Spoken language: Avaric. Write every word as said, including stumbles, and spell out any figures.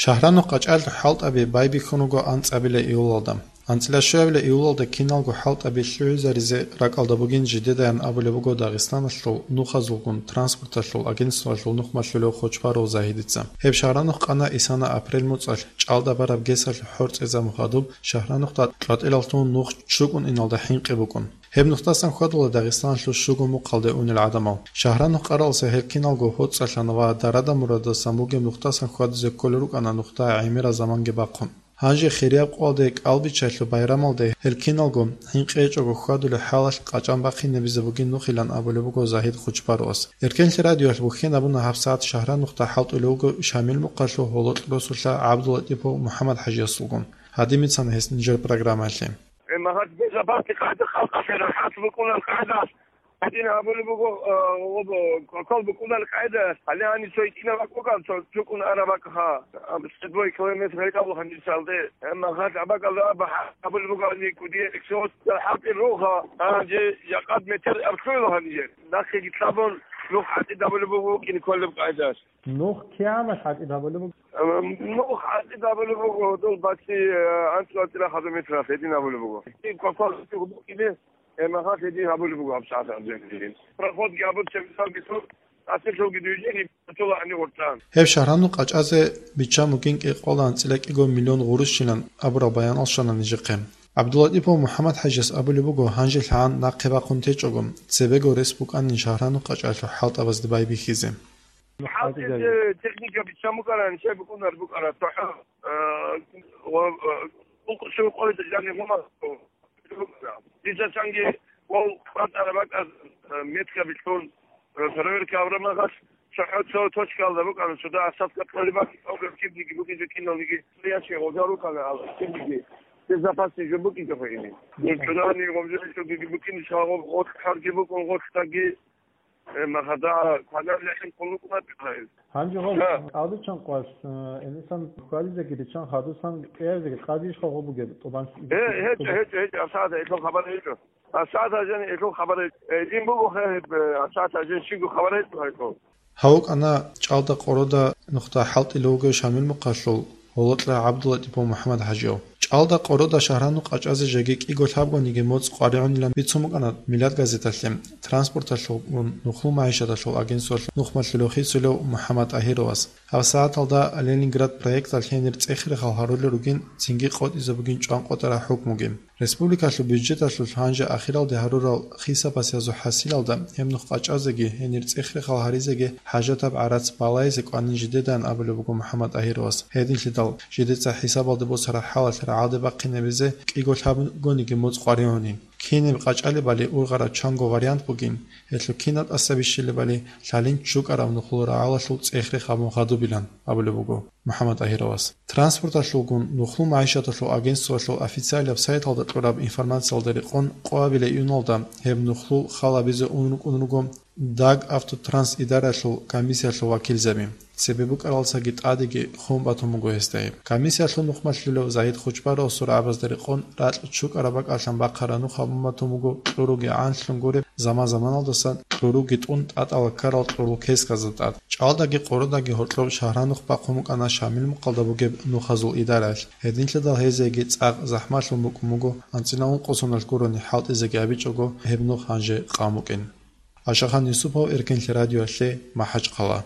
Шагьранухъ къачӀалъул хӀалтӀаби байбихьун руго анцӀабила июлалда. АнцӀила щуабила июлалда киналго хӀалтӀаби лъугӀизаризе ракӀалда бугин жидедаян абулеб буго Дагъистаналъул нухазулгун транспорталъул агентствоялъул нухмалъулев Хочбаров Загьидица. Гьеб Шагьранухъ къана исана апрель муцӀалъ, чӀалда бараб гесалъ хӀорцӀизабун хадуб, Шагьранухъда кьватӀилаллъун нух чукӀун иналда хӀинкъи букӀун. Гьеб нухдасан хьвадула Дагъистаналъул щуго мухъалде унел гӀадамал. Шагьранухъ къаралса гьел киналго гьоцӀалъана ва дарада-мурадасан бугеб нухдасан хьвадизе кколел рукӀана нухда гӀемерал заманги бахъун. Гьанже хирияб къоялде кӀалбиччалъул байрамалде гьел киналго хӀинкъи гьечӀого хьвадулеб хӀалалъ къачӀан бахъинабизе бугин нухилан абулеб буго Загьид Хочбаровас. Эркенлъи радиоялъ бухьен абуна гьабсагӀат Шагьранухъда хӀалтӀулев вуго Шамил мухъалъул гьолокь росулъа ГӀабдулатӀипов МухӀаммад-хӀажиясулгун. Гьадин бицана гьес нижер программаялъе. Э, магьат безабасти къайда халкъалъе рахӀат букӀунал къайдалъ, гьадин гьабулеб буго, э, об-, кокал букӀунал къайда, гьале гьанив цо гьитӀинав бакӀ букӀан, цо чукӀун араб бакӀха, ам, сто две километр гьечӀо гьанивсалде. Э, магьат абакӀалда аб-, гьабулеб буго гьанив кӀудиял эксиос, хӀалтӀи руха, гьанже жакъад метр аб лъугьила гьанже. Нахъеги лъабун, нух хӀалтӀи гьабулеб буго кӀин кколеб къайдалъ. Нух кигӀан хӀалтӀи гьабулеб буго? Э, нух хӀалтӀи гьабулеб буго, дол баци, э, анцӀ-, анцӀила хадуб метралъ гьедин гьабулеб буго. Кокал букӀине, Э, магьат гьедин гьабулеб буго гьабсагӀат гьаб жагьилин. Проходги гьабун, чебисалги тун, асирлъулги дуйжени, батула гьанив гъоркьан. Гьеб Шагьранухъ къачӀазе биччан бугин кӀикъоялда анцӀила кӀиго миллион гъурущилан абураб баянал щвана нижехъе. ГӀабдулатӀипов МухӀаммад-хӀажияс абулеб буго, гьанжелъагӀан нахъе бахъун течӀого, цебего рес букӀанин Шагьранухъ къачӀалъул хӀалтӀабазде байбихьизе. ХӀалтӀизе техника биччан букӀарани, щай букӀунар букӀара, цохӀо, э, ва, э, ункъо-щуго къоялда жаниб гьуна. Дица чанги вав кӀватӀараб бакӀаз, э, метка билъун, э, проверка гьабураб мехалъ, цохӀо цо точкаялда букӀана, цо дагьа садка кьолеб бакӀ, кибниги букӀинчӀо киналниги, ящик гъоза рукӀана, ал кибниги безопасный жо букӀинчӀо гьайни. Нуж чӀунани гъобжо букӀинчӀо гьагъоб гъорлъ хӀарги букӀун гъорлъ таги, Э, махада квадрат лехӀин къуллукъ букӀараб. Гьанже гьаб Да. кӀалдичӀан къваш, э, Элисан хьвадизеги риччан хадусан кӀиязеги къадиш хагъо бугеб тӀубан. Э, гьечӀо, гьечӀо, гьечӀо, асада, элъул хабар гьечӀо. Асада жани элъул хабар гьечӀо. Э, ин буго хе-, э, асада жани щиго хабар гьечӀо гьайкъо. Гьав вукӀана чӀалда къорода нухда хӀалтӀила вугев Шамил мухъалъул гьолокьа ГӀабдулатӀипов МухӀаммад-хӀажияв. ЧӀалда къорода Шагьранухъ къачӀазе жеги кӀиго лъабгониги моцӀ къваригӀунилан бицун букӀана Милат газеталъе, транспорталъулгун, нухлул магӀишаталъул агентствоялъ нухмалъулев хисулев МухӀаммад ТӀагьировас. ГьабсагӀаталда Ленинград проекталъ гьенир цӀех-рехал гьарулел ругин, цинги къотӀизе бугин чӀван къотӀараб хӀукмуги. Республикалъул бюджеталъулъ гьанже ахиралде гьарурал хисабасазул хӀасилалда гьеб нух къачӀазеги, гьенир цӀех-рехал гьаризеги хӀажатаб гӀарац балайзе кӀванин жидедаан абулеб буго МухӀаммад ТӀагьировас. Гьединлъидал жидеца хӀисабалде босараб хӀалалъ рагӀалде бахъинабизе кӀиго лъабгониги моцӀ къваригӀунин. Кинаб къачӀалебали ургъараб чанго вариант бугин, гьелъул кинаб тӀаса бищилебали лъалин чӀукӀараб нухлул рагӀалалъул цӀех-рех гьабун хадубилан абулеб буго МухӀаммад ТӀагьировас. Транспорталъулгун нухлул магӀишаталъул агентствоялъул официалияб сайталда кьураб информациялда рекъон къоабилеб июналда гьеб нухлул хал гьабизе ун рукӀун руго Дагавтотранс идаралъул комиссиялъул вакилзаби. Цебе букӀаралдасаги тӀадеги хун батун буго гьесда гьеб. Комиссиялъул нухмалъулев Загьид Хочбаровасул рагӀабазда рекъон ракь чукӀараб бакӀалъан бахъараб нух гьабун батун буго кьуруги гӀанлъун гуреб заман-заманалдаса кьуруги тӀун тӀатӀала ккарал кьурул кесказда тӀад. ЧӀалдаги къородаги гьоркьоб Шагьранухъ бахъун букӀана Шамил мухъалда бугеб нухазул идараялъ. Гьединлъидал гьезиеги цӀакъ захӀмалъун букӀун буго анцӀила ункъо соналъ гурони хӀалтӀизеги абичӀого гьеб нух гьанже къан букӀин. Ашахан Юсупов, Эркенлъи радиоялъе, МахӀачхъала.